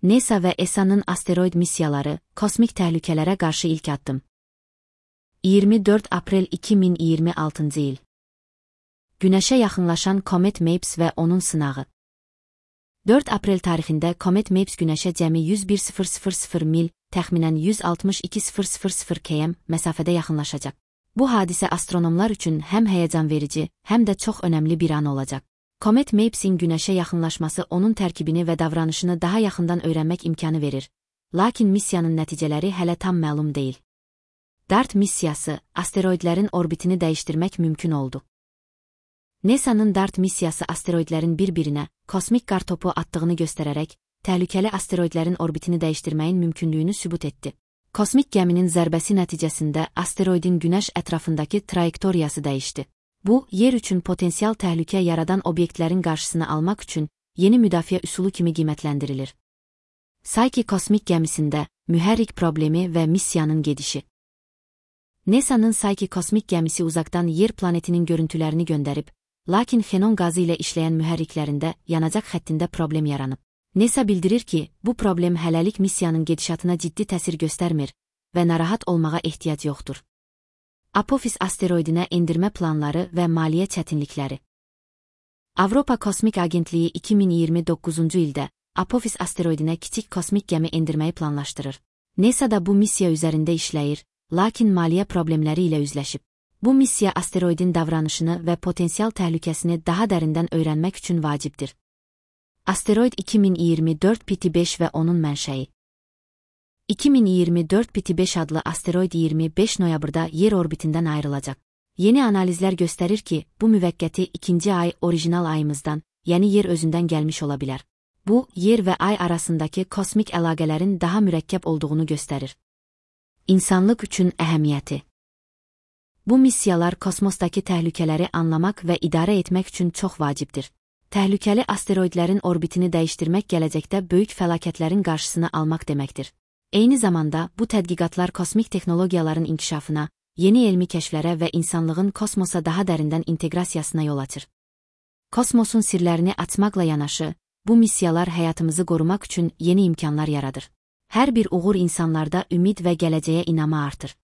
NASA və ESA-nın asteroid missiyaları, kosmik təhlükələrə qarşı ilk addım. 24 aprel 2026-cı il. Günəşə yaxınlaşan Komet Mapes və onun sınağı. 4 aprel tarixində Komet Mapes Günəşə cəmi 101,000 mil, təxminən 162,000 km məsafədə yaxınlaşacaq. Bu hadisə astronomlar üçün həm həyəcan verici, həm də çox önəmli bir an olacaq. Komet Mapes'in Günəşə yaxınlaşması onun tərkibini və davranışını daha yaxından öyrənmək imkanı verir. Lakin missiyanın nəticələri hələ tam məlum deyil. DART missiyası, asteroidlərin orbitini dəyişdirmək mümkün oldu. NASA'nın DART missiyası asteroidlərin bir-birinə kosmik qar topu attığını göstərərək, təhlükəli asteroidlərin orbitini dəyişdirməyin mümkünlüyünü sübut etdi. Kosmik gəminin zərbəsi nəticəsində asteroidin Günəş ətrafındakı trayektoriyası dəyişdi. Bu, yer üçün potensial təhlükə yaradan obyektlərin qarşısını almaq üçün yeni müdafiə üsulu kimi qiymətləndirilir. Psyche kosmik gəmisində mühərrik problemi və missiyanın gedişi. NASA'nın Psyche kosmik gəmisi uzaqdan yer planetinin görüntülərini göndərib, lakin xenon qazı ilə işləyən mühərriklərində yanacaq xəttində problem yaranıb. NASA bildirir ki, bu problem hələlik missiyanın gedişatına ciddi təsir göstərmir və narahat olmağa ehtiyac yoxdur. Apophis asteroidinə endirmə planları və maliyyə çətinlikləri. Avropa Kosmik Agentliyi 2029-cu ildə Apophis asteroidinə kiçik kosmik gəmi endirməyi planlaşdırır. NASA da bu missiya üzərində işləyir, lakin maliyyə problemləri ilə üzləşib. Bu missiya asteroidin davranışını və potensial təhlükəsini daha dərindən öyrənmək üçün vacibdir. Asteroid 2024 PT5 və onun mənşəyi. 2024 PT5 adlı asteroid 25 noyabrda yer orbitindən ayrılacaq. Yeni analizlər göstərir ki, bu müvəqqəti ikinci ay orijinal ayımızdan, yəni yer özündən gəlmiş ola bilər. Bu, yer və ay arasındakı kosmik əlaqələrin daha mürəkkəb olduğunu göstərir. İnsanlıq üçün əhəmiyyəti. Bu missiyalar kosmosdakı təhlükələri anlamaq və idarə etmək üçün çox vacibdir. Təhlükəli asteroidlərin orbitini dəyişdirmək gələcəkdə böyük fəlakətlərin qarşısını almaq deməkdir. Eyni zamanda, bu tədqiqatlar kosmik texnologiyaların inkişafına, yeni elmi kəşflərə və insanlığın kosmosa daha dərindən inteqrasiyasına yol açır. Kosmosun sirlərini açmaqla yanaşı, bu missiyalar həyatımızı qorumaq üçün yeni imkanlar yaradır. Hər bir uğur insanlarda ümid və gələcəyə inamı artır.